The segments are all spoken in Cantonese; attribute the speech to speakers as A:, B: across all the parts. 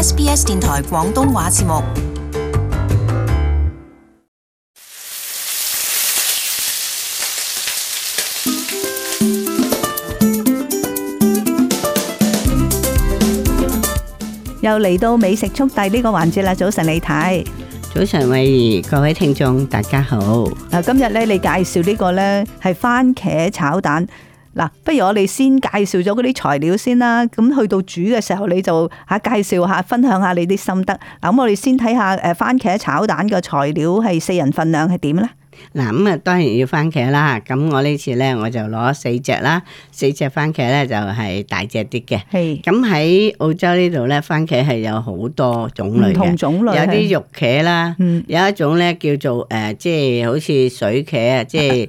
A: SBS 電台廣東話節目。
B: 又嚟到美食速遞呢個環節啦！早晨李太，
C: 早晨慧怡，各位聽眾大家好。
B: 今日咧你介紹呢個咧係番茄炒蛋。嗱，不如我哋先介紹咗嗰啲材料先啦。咁去到煮嘅時候，你就介紹下、分享下你啲心得。嗱，咁我哋先睇下番茄炒蛋嘅材料係4人份量係點咧？
C: 嗱，咁啊當然要番茄啦。咁我呢次咧我就攞4隻啦，4隻番茄咧就係大隻啲嘅。
B: 係。
C: 咁喺澳洲呢度咧，番茄係有好多種類嘅，
B: 唔同種類，
C: 有啲肉茄啦，有一種咧叫做即係好似水茄啊，即係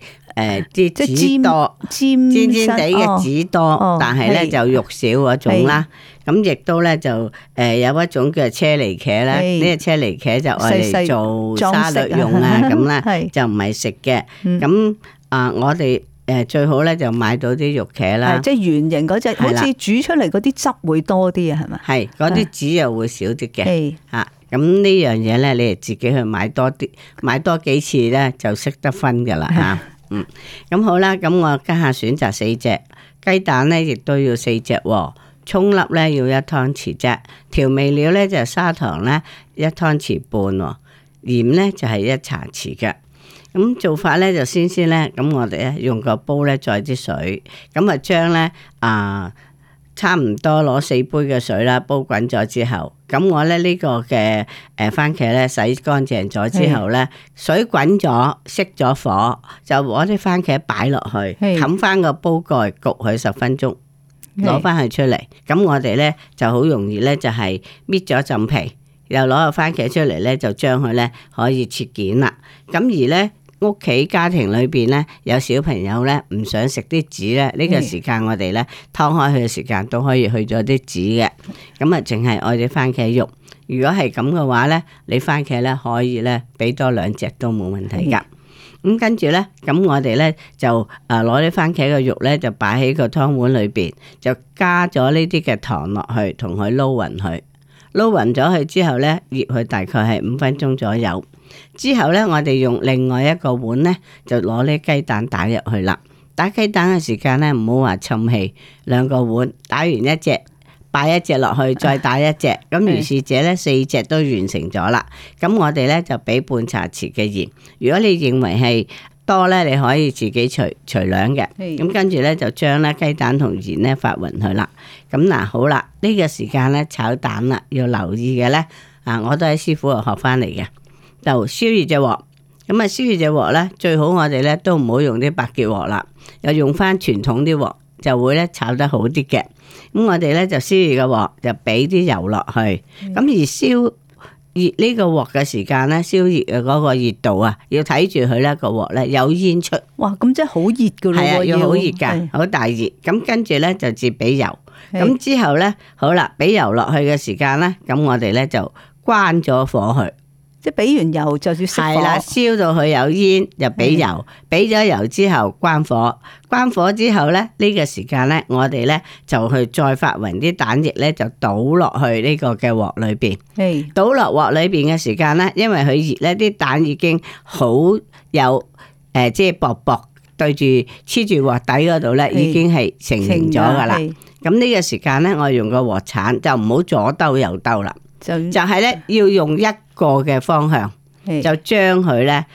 C: 啲籽多尖尖地嘅籽多，但係咧就肉少嗰種啦。咁亦都咧就有一種叫車厘茄啦，呢個車厘茄就愛嚟做沙律用啊咁啦，就唔係食嘅。咁我哋最好咧就買到啲肉茄啦，
B: 即係圓形嗰隻，好似煮出嚟嗰啲汁會多啲啊，係咪？係，
C: 嗰啲籽又會少啲嘅。嚇，咁呢樣嘢咧，你哋自己去買多啲，買多幾次咧就識得分㗎啦嚇。咁好啦，咁我家下選擇4隻雞蛋咧，亦都要4隻喎。蔥粒咧要1湯匙啫，調味料咧就砂糖咧1湯匙半喎，鹽咧就係1茶匙嘅。咁做法咧就先咧，咁我哋咧用個煲咧載啲水，咁啊將咧差唔多攞4杯嘅水啦，煲滾咗之後，咁我咧呢個嘅番茄咧洗乾淨咗之後咧，水滾咗熄咗火，就攞啲番茄擺落去，冚翻個煲蓋焗佢10分鐘，攞翻佢出嚟。咁我哋咧就好容易咧就係搣咗浸皮，又攞個番茄出嚟咧就將佢咧可以切件啦。咁而咧屋企家庭裏邊咧有小朋友咧唔想食啲籽咧，呢個時間我哋咧劏開佢嘅時間都可以去咗啲籽嘅。咁啊淨係愛啲番茄肉。如果係咁嘅話咧，你番茄咧可以咧俾多2隻都冇問題噶。咁跟住咧，咁我哋咧就攞啲番茄嘅肉咧就擺喺個湯碗裏邊，就加咗呢啲嘅糖落去，同佢撈勻佢。撈勻咗佢之後咧，醃佢大概係5分鐘左右。之後咧，我哋用另外一個碗咧，就攞啲雞蛋打入去啦。打雞蛋嘅時間咧，唔好話侵氣，2個碗打完一隻，擺1隻落去，再打1隻，咁如是者咧4隻都完成咗啦。咁我哋咧就俾半茶匙嘅鹽。如果你認為係多咧，你可以自己除量嘅。咁跟住咧就將咧雞蛋同鹽咧發勻佢啦。咁嗱好啦，呢個時間咧炒蛋啦，要留意嘅咧我都喺師傅度學翻嚟嘅。就燒熱隻鑊，咁燒熱隻鑊咧，最好我哋咧都唔好用啲白鐵鑊啦，又用翻傳統啲鑊，就會咧炒得好啲嘅。咁我哋咧就燒熱個鑊，就俾啲油落去。咁而燒熱呢個鑊嘅時間咧，燒熱嘅嗰個熱度啊，要睇住佢咧個鑊咧有煙出。
B: 哇，咁真係好熱噶咯！
C: 係啊，要好熱噶，好大熱。咁跟住咧就至俾油。咁之後咧，好啦，俾油落去嘅時間咧，咁我哋咧就關咗火去。
B: 即係俾完油就要熄火，
C: 係啦，燒到佢有煙就俾油，俾咗油之後關火，關火之後咧呢個時間咧，我哋咧就去再發勻啲蛋液咧，就倒落去呢個嘅鑊裏邊。倒落鑊裏邊嘅時間咧，因為佢熱咧，啲蛋已經好有即係薄薄對住黐住鑊底嗰度咧，已經係成型咗噶啦。咁呢個時間咧，我用個鑊鏟就唔好左兜右兜啦。就係咧，要用一個嘅方向，就將佢咧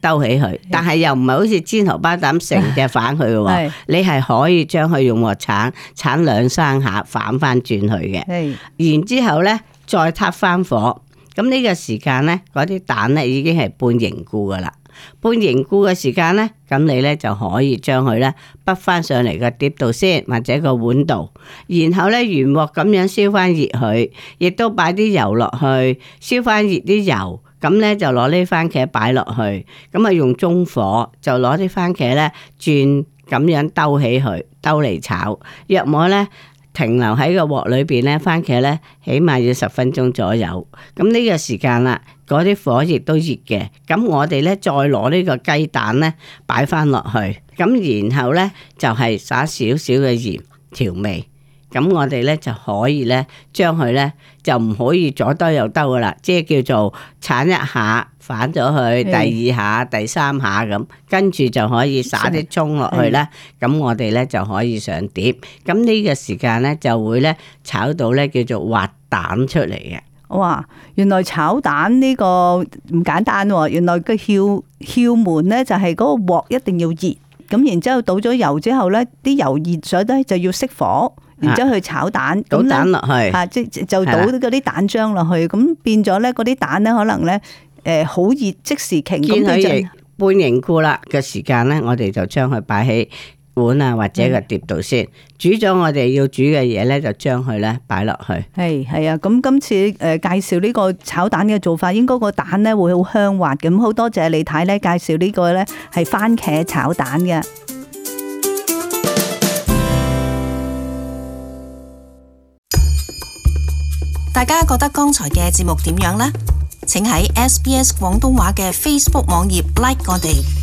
C: 兜起佢，但係又唔係好似煎荷包蛋成隻反佢嘅喎，你係可以將佢用鑊鏟鏟2-3下反翻轉佢嘅，然之後咧再撻翻火，咁呢個時間咧嗰啲蛋咧已經係半凝固噶啦。半凝固嘅時間咧，咁你咧就可以將佢咧滗翻上嚟個碟度先，或者個碗度，然後咧原鑊咁樣燒翻熱佢，亦都擺啲油落去，燒翻熱啲油，咁咧就攞啲番茄擺落去，咁啊用中火就攞啲番茄咧轉咁樣兜起佢，兜嚟炒，約莫咧停留喺個鑊裏邊咧，番茄咧起碼要10分鐘左右。咁呢個時間啦，嗰啲火亦都熱嘅。咁我哋咧再攞呢個雞蛋咧擺翻落去，咁然後咧就係撒少少嘅鹽調味。咁我哋咧就可以咧將佢咧就唔可以左兜右兜噶啦，即係叫做鏟一下反咗去，第二下、第三下咁，跟住就可以撒啲蔥落去啦。咁我哋咧就可以上碟。咁呢個時間咧就會咧炒到咧叫做滑蛋出嚟嘅。
B: 哇！原來炒蛋呢個唔簡單喎，原來個竅門咧就係嗰個鑊一定要熱，咁然之後倒咗油之後咧，啲油熱咗咧就要熄火，然之後去炒蛋，
C: 倒蛋落去，
B: 即就倒嗰啲蛋漿落去，咁變咗咧嗰啲蛋咧可能咧好熱即時凝，
C: 見佢半凝固啦嘅時間咧，我哋就將佢擺喺碗啊或者個碟度先，煮咗我哋要煮嘅嘢咧，就將佢咧擺落去。係
B: 啊，咁今次介紹呢個炒蛋嘅做法，應該個蛋咧會好香滑嘅。咁好多謝李太咧介紹呢個咧係番茄炒蛋嘅。
A: 大家覺得剛才嘅節目點樣呢？請喺SBS 廣東話嘅 Facebook 網頁 like 我哋。